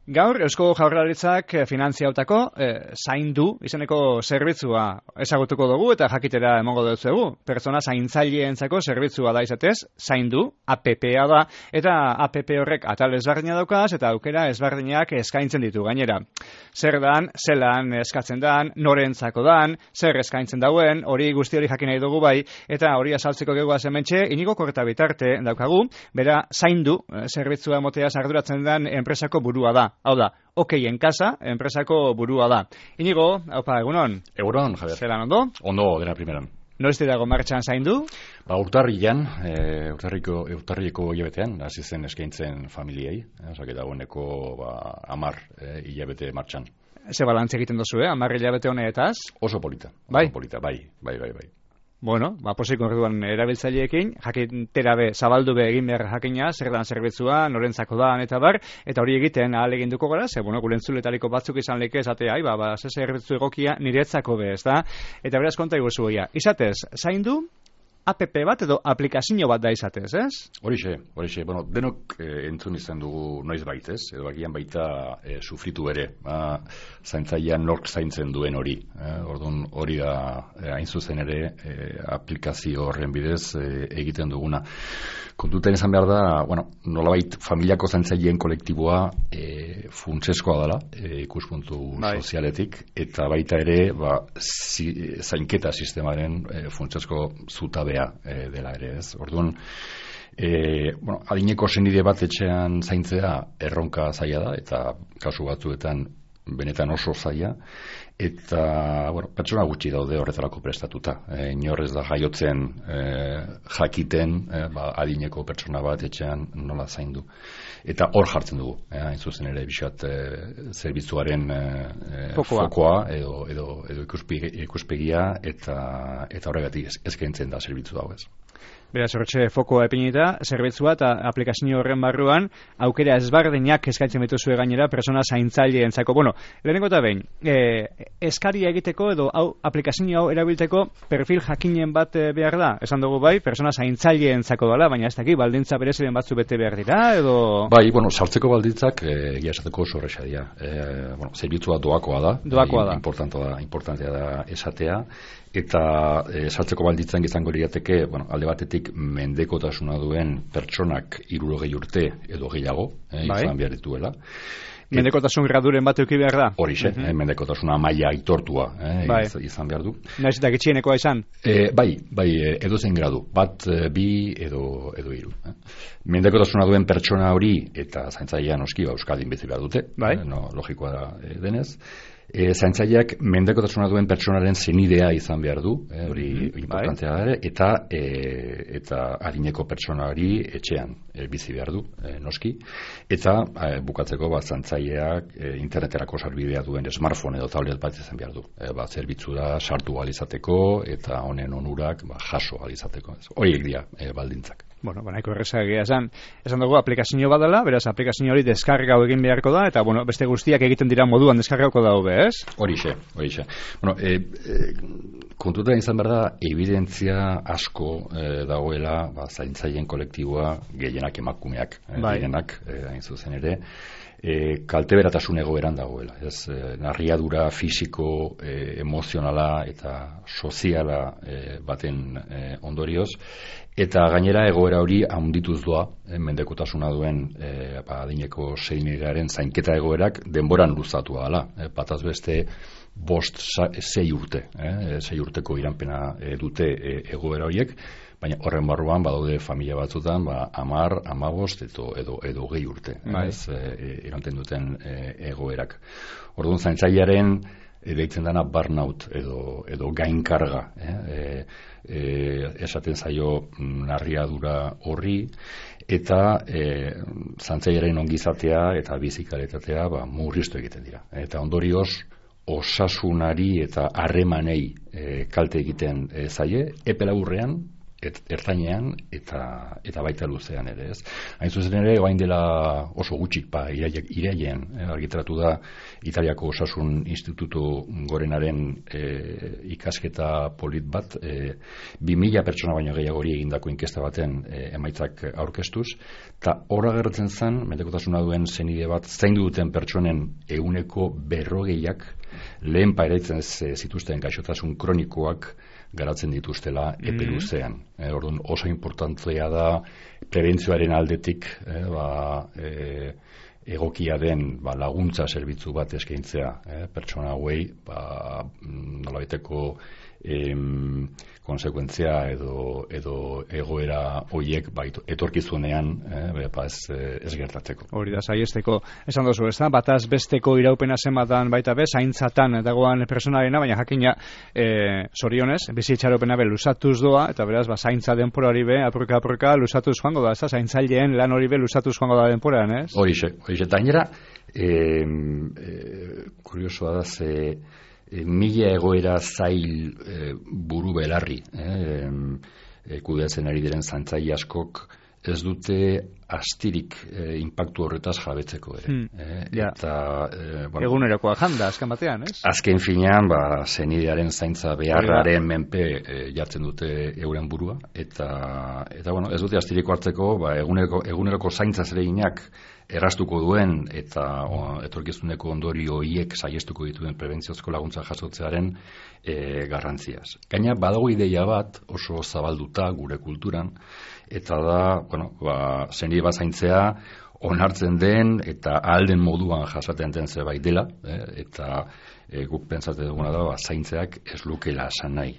Gaur, Eusko Jaurlaritzak finantziautako zaindu izeneko zerbitzua ezagutuko dugu eta jakitera emango dugu. Pertsona zaintzaileentzako zerbitzua da izatez, zaindu, APP-a da, eta APP horrek atal ezberdina daukaz eta aukera ezberdinak eskaintzen ditu gainera. Zer dan, zelan eskatzen dan, norentzako dan, zer eskaintzen dauen, hori guzti hori jakin nahi dugu bai, eta hori azaltzeko gegoaz hementxe, Inigo Korta bitarte daukagu, bera zaindu zerbitzua moteaz arduratzen den enpresako burua da. Hau da, Okeien Kasa, enpresako burua da. Inigo, haupa, egunon? Egunon, Javier. Zelan ondo? Ondo, dena primeran. Noiz dago martxan zaindu? Urtarrian, urtarriko hilabetean, hasi zen eskaintzen familiei, osake dagoeneko 10 hilabete martxan. Ze balantze egiten duzu, 10 hilabete honetaz? Oso polita. Bai? Oso polita, bai. Bueno, posik orduan erabiltzaileekin, jakintera be, zabaldu be egin behar jakina, zer dan zerbitzua, norentzako da, eta bar, eta hori egiten ahal eginduko gara, ze, gure entzuletariko batzuk izan leke esatea, ze zerbitzu egokia niretzako be, ez da? Eta beraz konta iguzu goia. Izatez, zaindu, APP bat edo aplikazio bat da izatez, ez? Horixe, bueno, denok entzun izan dugu noiz baitez, edo agian baita sufritu ere, zaintzailean nork zaintzen duen hori. Orduan hori da hain zuzen ere aplikazio horren bidez egiten duguna. Kontuten izan behar da, nolabait familiako zaintzaileen kolektiboa funtseskoa dela, ikuspuntu sozialetik, eta baita ere zainketa sistemaren funtsesko zutabea dela ere, ez. Orduan, adineko senide bat etxean zaintzea erronka zaila da, eta kasu batzuetan benetan oso zaila, eta pertsona gutxi daude horretarako prestatuta. Inorrez da jaiotzen jakiten adineko pertsona bat etxean nola zaindu. Eta hor jartzen dugu, hain zuzen ere bisat zerbitzuaren fokoa edo ikuspegia eta horregatik eskaintzen da zerbitzu dago ez. Beraz, horretxe fokoa epinita, zerbitzua eta aplikazio horren barruan aukera ezberdinak eskaintzen dituzue gainera persona zaintzaileentzako. Lehenengo eta behin, eskaria egiteko edo aplikazio hau erabiltzeko perfil jakinen bat behar da? Esan dugu bai, persona zaintzaileentzako dela, baina ez dakit, baldintza bereziren batzu bete behar dira, edo... Bai, sartzeko baldintzak egia esateko oso horreza dira. Zerbitzua doakoa da. Importantea da esatea. Eta sartzeko baldintzan izango lirateke, alde batetik mendekotasuna duen pertsonak 60 urte edo gehiago, izan behar dituela. Mendekotasun graduren bat euki behar da? Horixe, mendekotasuna maila aitortua izan behar du. Naiz eta gitxienekoa izan? Bai, edozein gradu, bat, bi edo 3. Mendekotasuna duen pertsona hori eta zaintzailean noski euskaldin bizi behar dute, logikoa da denez. Zaintzaileak mendekotasuna duen pertsonaren zenidea izan behar du, hori importantea da, eta adineko pertsona hori etxean bizi behar du, noski, eta bukatzeko zaintzaileak interneterako sarbidea duen smartphone edo tablet bat izan behar du. Zerbitzura sartu alizateko eta honen onurak jaso alizateko. Horiek dira baldintzak. Nahiko errezagia esan dugu aplikazio bat dela, beraz aplikazio hori deskargau egin beharko da, eta beste guztiak egiten dira moduan deskargauko daube, ez? Horixe. Kontutan izan behar da, evidentzia asko dagoela zaintzaileen kolektiboa gehienak emakumeak, direnak, hain zuzen ere, kalteberatasun egoeran dagoela. Narriadura fisiko, emozionala eta soziala baten ondorioz, eta gainera egoera hori handituz doa, mendekotasuna duen adineko zeinigaren zainketa egoerak denboran luzatua dela. Bataz beste 5-6 urte, 6 urteko iranpena dute egoera horiek, baina horren barruan badaude familia batzutan 10, 15 edo 20 urte iranten duten egoerak. Orduan zaintzailearen deitzen dena burnout edo gainkarga, esaten zaio narriadura horri, eta zaintzailearen ongizatea eta bizikalitatea murriztu egiten dira. Eta ondorioz osasunari eta harremanei kalte egiten zaie, epe laburrean ertainean eta baita luzean ere, ez? Hain zuzen ere, orain dela oso gutxik, irailean argitaratu da Italiako Osasun Institutu Gorenaren ikasketa polit bat, 2000 pertsona baino gehiagori egindako inkesta baten emaitzak aurkeztuz, eta horra gertzen zen, mendekotasuna duen zenide bat, zaindu duten pertsonen 40%ak lehen pairaitzen zituzten gaixotasun kronikoak garatzen dituztela epe luzean. Orduan oso importantzea da prebentzioaren aldetik egokia den laguntza zerbitzu bat eskaintzea pertsona hauei nolabaiteko konsekuentzia edo egoera hoiek etorkizunean ez gertatzeko. Hori da, saiesteko esan dozu, ez da, bataz besteko iraupena zenbatan baita be, zaintzatan dagoan personarena, baina jakina zorionez, bizitxaropena be lusatuz doa, eta beraz, zaintza denporari be, apurka lusatuz joango da, ez da, zaintzaileen lan hori be lusatuz joango da denporan, ez? Horixe, eta gainera, kuriosoa da, mila egoera zail buru belarri kudeatzen ari diren zaintzaile askok ez dute astirik inpaktu horretaz jabetzeko ere. Egunerokoa janda, azken batean, ez? Azken finean, zenidearen zaintza beharraren menpe jartzen dute euren burua, eta ez dute astiriko hartzeko, eguneroko zaintza zereginak erraztuko duen eta etorkizuneko ondorio horiek saiestuko dituen prebentziozko laguntza jasotzearen garrantziaz. Gaina badago ideia bat oso zabalduta gure kulturan, eta da, zenide bat zaintzea onartzen den eta ahal den moduan jasaten den zerbait dela, eta guk pentsatzen duguna da, zaintzeak ez lukeela esan nahi.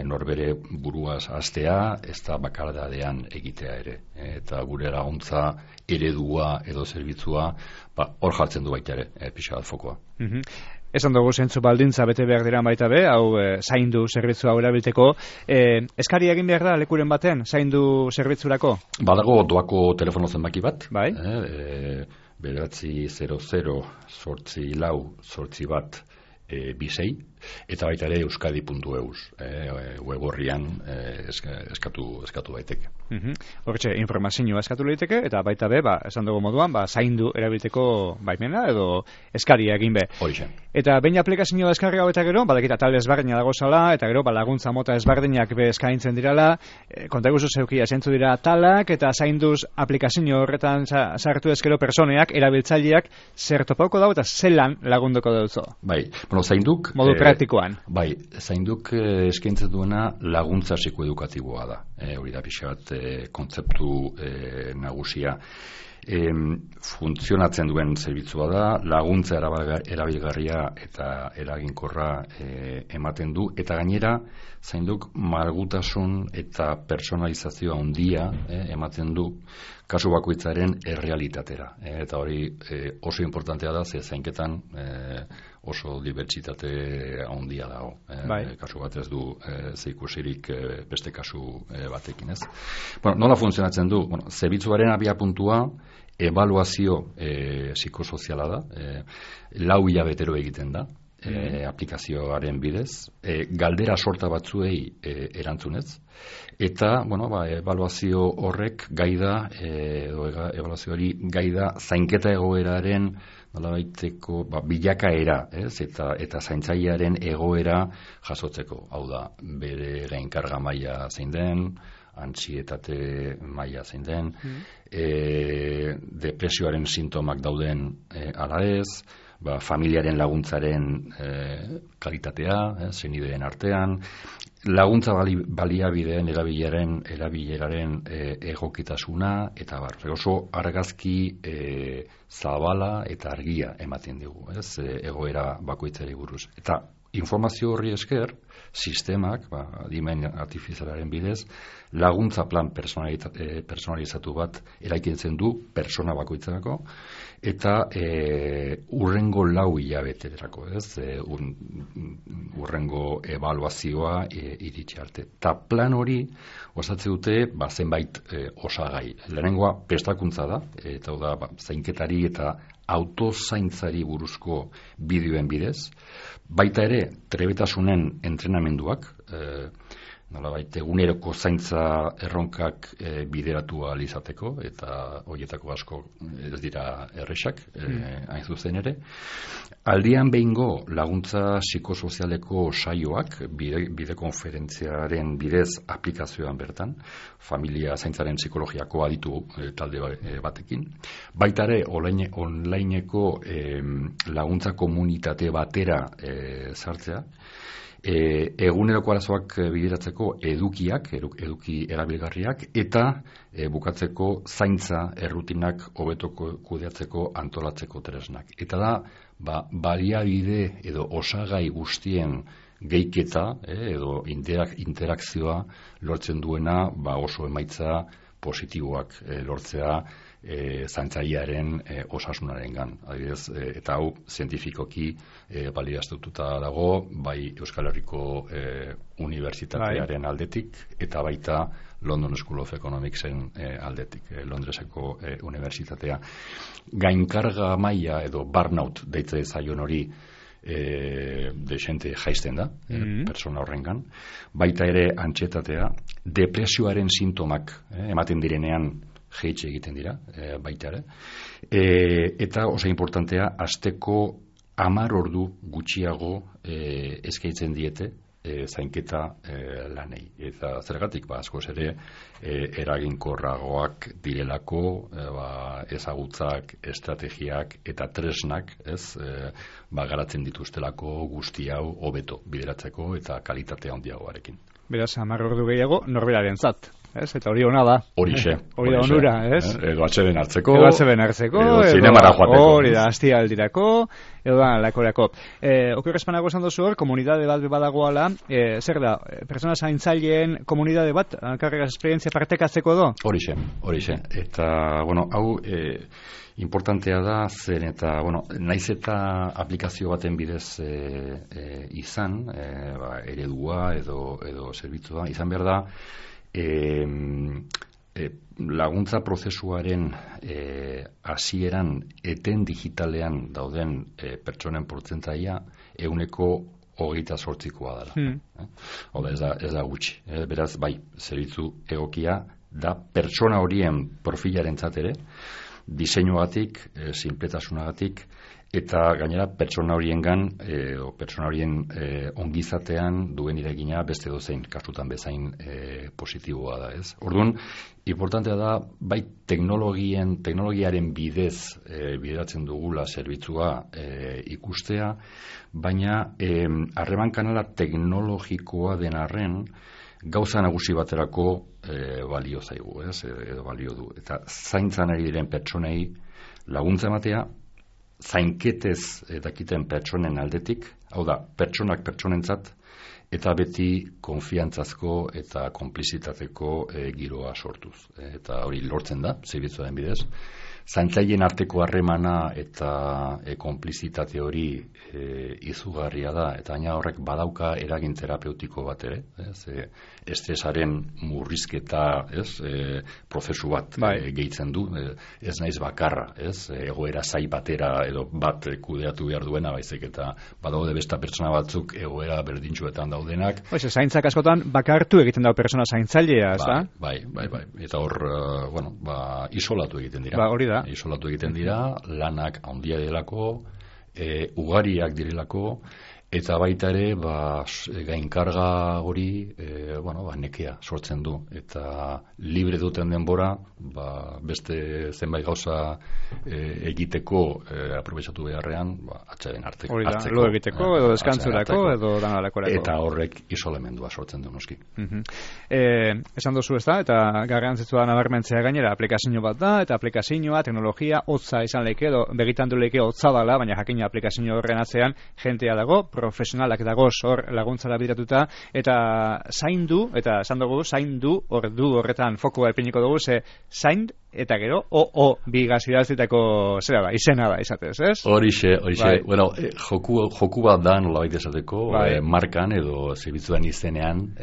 Norbere buruaz hastea, ez da bakardadean egitea ere. Eta gure laguntza eredua edo zerbitzua hor jartzen du baita ere, pixa bat fokoa. Esan dugu zentzu baldintza bete behar dira baita be, hau zaindu zerbitzua erabilteko. Eskari egin behar da lekuren baten, zaindu zerbitzurako? Badago doako telefono zenbaki bat. Bai. 900-8 bisei, eta baita ere euskadi.eus web horrian eskatu daiteke. Hortxe, informazioa eskatu daiteke, eta baita be, esan dugu moduan, zaindu erabilteko baimena edo eskaria egin be. Horixe. Eta behin aplikazioa eskarri hau eta gero, badakita talde ezberdina dago zala, eta gero laguntza mota ezberdinak be eskaintzen dirala, kontaiguzu zeukia zentzu dira talak, eta zainduz aplikazio horretan sartu ezkero personeak, erabiltzaileak, zer topauko dago eta zelan lagunduko dauzo. Bai, zainduk modu praktikoan. Bai, zainduk eskaintzen duena laguntza psikoedukatiboa da. Hori da pixa bat kontzeptu nagusia. Funtzionatzen duen zerbitzua da, laguntza erabilgarria eta eraginkorra ematen du, eta gainera zainduk malgutasun eta personalizazioa handia ematen du kasu bakoitzaren errealitatera. Eta hori oso importantea da, ze zainketan oso dibertsitate handia dago. Kasu bat ez du zeikusirik beste kasu batekin, ez? Nola funtzionatzen du? Zerbitzuaren abiapuntua ebaluazio psikosoziala da, 4 hilabetero egiten da, aplikazioaren bidez, galdera sorta batzuei erantzunez, eta ebaluazio horrek ebaluazio hori gaida zainketa egoeraren nolabaiteko bilakaera, eta zaintzailearen egoera jasotzeko. Hau da, bere gainkarga maila zein den, antsietate maila zein den, depresioaren sintomak dauden ala ez, familiaren laguntzaren kalitatea, zenideen artean, laguntza baliabideen erabileraren egokitasuna, eta oso argazki zabala eta argia ematen dugu, egoera bakoitzari buruz. Eta informazio horri esker, sistemak, adimen artifizialaren bidez, laguntza plan personalizatu bat eraikitzen du persona bakoitzerako, eta urrengo 4 hilabeterako, urrengo ebaluazioa iritsi arte. Eta plan hori osatzen dute zenbait osagai. Lehenengoa prestakuntza da, eta da zainketari eta autozaintzari buruzko bideoen bidez, baita ere trebetasunen entrenamenduak, nolabait eguneroko zaintza erronkak bideratu ahal izateko, eta horietako asko ez dira erresak, hain zuzen ere. Aldian behingo laguntza psikosozialeko saioak, bide konferentziaren bidez aplikazioan bertan, familia zaintzaren psikologiako aditu talde batekin. Baita ere, onlineko laguntza komunitate batera sartzea, eguneroko arazoak bideratzeko eduki erabilgarriak, eta bukatzeko zaintza errutinak hobetoko kudeatzeko antolatzeko tresnak. Eta da, baliabide edo osagai guztien gehiketa edo interakzioa lortzen duena oso emaitza positiboak lortzea zaintzailearen osasunarengan. Adibidez, eta hau zientifikoki baliaztatuta dago, bai Euskal Herriko Unibertsitatearen aldetik, eta baita London School of Economicsen aldetik, Londreseko Unibertsitatea. Gainkarga maila edo burnout deitze zaion hori desente jaisten da, persona horrengan. Baita ere antsietatea, depresioaren sintomak ematen direnean jeitxe egiten dira, baita ere. Eta oso importantea, asteko 10 ordu gutxiago eskaintzen diete zainketa lanei. Eta zergatik, askoz ere eraginkorragoak direlako, ezagutzak, estrategiak eta tresnak, garatzen dituztelako guzti hau hobeto bideratzeko eta kalitatea handiagoarekin. Beraz, 10 ordu gehiago norberaren zat. Eta hori hona da. Horixe. Hori da onura, Edo atxeden hartzeko. Edo zinemara joateko. Hori da, astialdirako, edo da, lakorako. Okerrezpanago esan dozu hor, komunidade bat badagoala, zer da, persona zaintzaileen komunidade bat, karreras esperientzia partekatzeko do? Horixe. Eta, hau importantea da, zen eta, naiz eta aplikazio baten bidez izan, eredua edo zerbitzua, izan behar da, laguntza prozesuaren hasieran eten digitalean dauden pertsonen portzentaia 28%koa dela. Oda, ez da gutxi. Beraz, bai, zerbitzu egokia da pertsona horien profilarentzat ere, diseinuagatik, sinpletasunagatik, eta gainera pertsona horiengan pertsona horien ongizatean duen eragina beste dozein kasutan bezain positiboa da, ez? Orduan, importantea da bai teknologiaren bidez bideratzen dugula zerbitzua ikustea, baina harreman kanala teknologikoa den arren gauza nagusi baterako balio zaigu, ez? Edo balio du. Eta zaintzan ari diren pertsonei laguntza ematea, zainketez dakiten pertsonen aldetik, hau da, pertsonak pertsonentzat, eta beti konfiantzazko eta konplizitateko giroa sortuz. Eta hori lortzen da, zerbitzuaren bidez. Zaintzaileen arteko harremana eta konplizitate hori izugarria da, eta gaina horrek badauka eragin terapeutiko bat ere, estresaren murrizketa, prozesu bat gehitzen du, ez naiz bakarra, egoera zai batera edo bat kudeatu behar duena, baizik eta badaude beste pertsona batzuk egoera berdintsuetan daudenak. Zaintzak askotan bakartu egiten dago pertsona zaintzailea, ez da? Bai. Eta hor, isolatu egiten dira. Hori da. Isolatu egiten dira, lanak handia delako, ugariak direlako, eta baita ere, gainkarga hori, nekea sortzen du. Eta libre duten denbora, beste zenbait gauza egiteko aprobetxatu beharrean, atxaren hartzeko. Hori da, lo egiteko, edo deskantzurako, edo danalakorako. Eta horrek isolemendua sortzen du noski. Esan dozu ez da, eta garrantzitsua da nabarmentzea gainera, aplikazio bat da, eta aplikazioa, teknologia, hotza izan leke, edo begitandu leke hotza dala, baina jakina aplikazio horren atzean jentea dago, profesionalak dagoz hor laguntzara bideratuta, eta zaindu, eta esan dugu, zaindu, ordu horretan fokoa epiniko dugu, zain eta gero, bi gazidazitako izena da, izatez, ez? Horixe. Joku bat da, nolabait esateko, markan edo zerbitzuan izenean,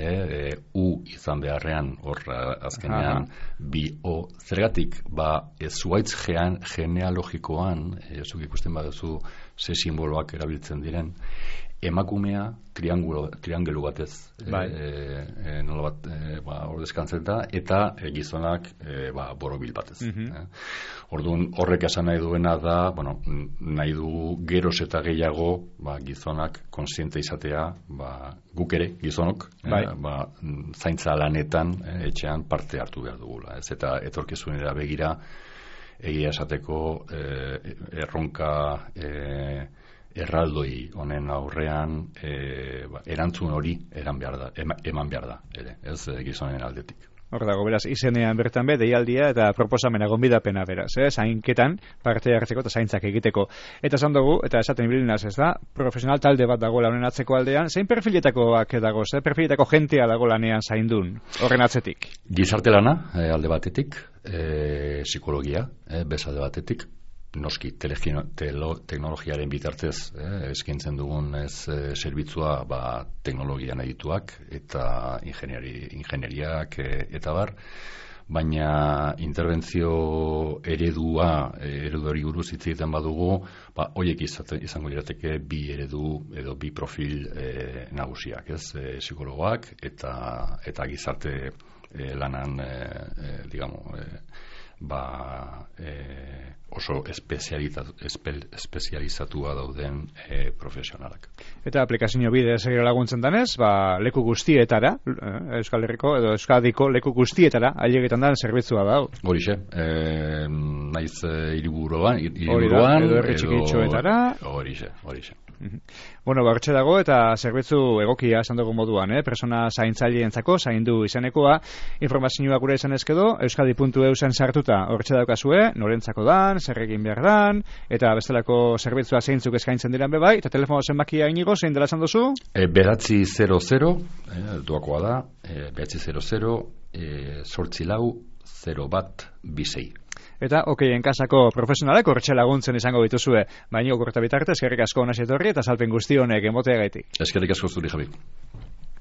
izan beharrean, hor azkenean, zergatik, zuaitz genealogikoan, zuk ikusten baduzu ze simboloak erabiltzen diren, emakumea triangelu batez nola bat ordezkantzen da, eta gizonak borobil batez. Orduan, horrek esan nahi duena da, nahi du geroz eta gehiago gizonak konsiente izatea, guk ere, gizonok, zaintza lanetan etxean parte hartu behar dugula. Ez eta etorkizunera begira, egia esateko erronka erraldoi honen aurrean erantzun hori eman behar da, ere, ez gizonen aldetik. Hor dago, beraz, izenean bertan deialdia eta proposamena gonbidapena beraz, zainketan parte hartzeko eta zaintzak egiteko. Eta esan dugu, eta esaten bilinaz ez da, profesional talde bat dago honen atzeko aldean, zein perfiletakoak dago, perfiletako jentea dago lanean zaindun, horren atzetik? Gizarte lana, alde batetik, psikologia, bezalde batetik, noski teknologiaren bitartez eskintzen dugun zerbitzua teknologian edituak eta ingenieriak eta bar, baina interbentzio ereduari buruz hitz egiten badugu, horiek izango lirateke bi eredu edo bi profil nagusiak, psikologoak eta gizarte lanan oso espezializatua dauden profesionalak. Eta aplikazio bidez laguntzen danez, leku guztietara, Euskal Herriko edo Euskadiko leku guztietara ailegetan den zerbitzua da. Horixe, naiz hiriburuan edo herri txikitxoetara. Horixe. Hortxe dago eta zerbitzu egokia esan dugu moduan, persona zaintzaileentzako zaindu izanekoa, informazioa gure izan ezkedo, euskadi.eusen sartuta hortxe daukazue, norentzako dan, zer egin behar dan, eta bestelako zerbitzua zeintzuk eskaintzen diren bebai, eta telefono zenbakia inigo, zein dela esan duzu? 900, duakoa da, 900, 84-0-1-26. Eta okeien kasako profesionalek hortxe laguntzen izango bituzue, baina okurta bitarte, eskerrik asko honez etorri eta salpen guzti honek emoteagaitik. Eskerrik asko zuri, Javi.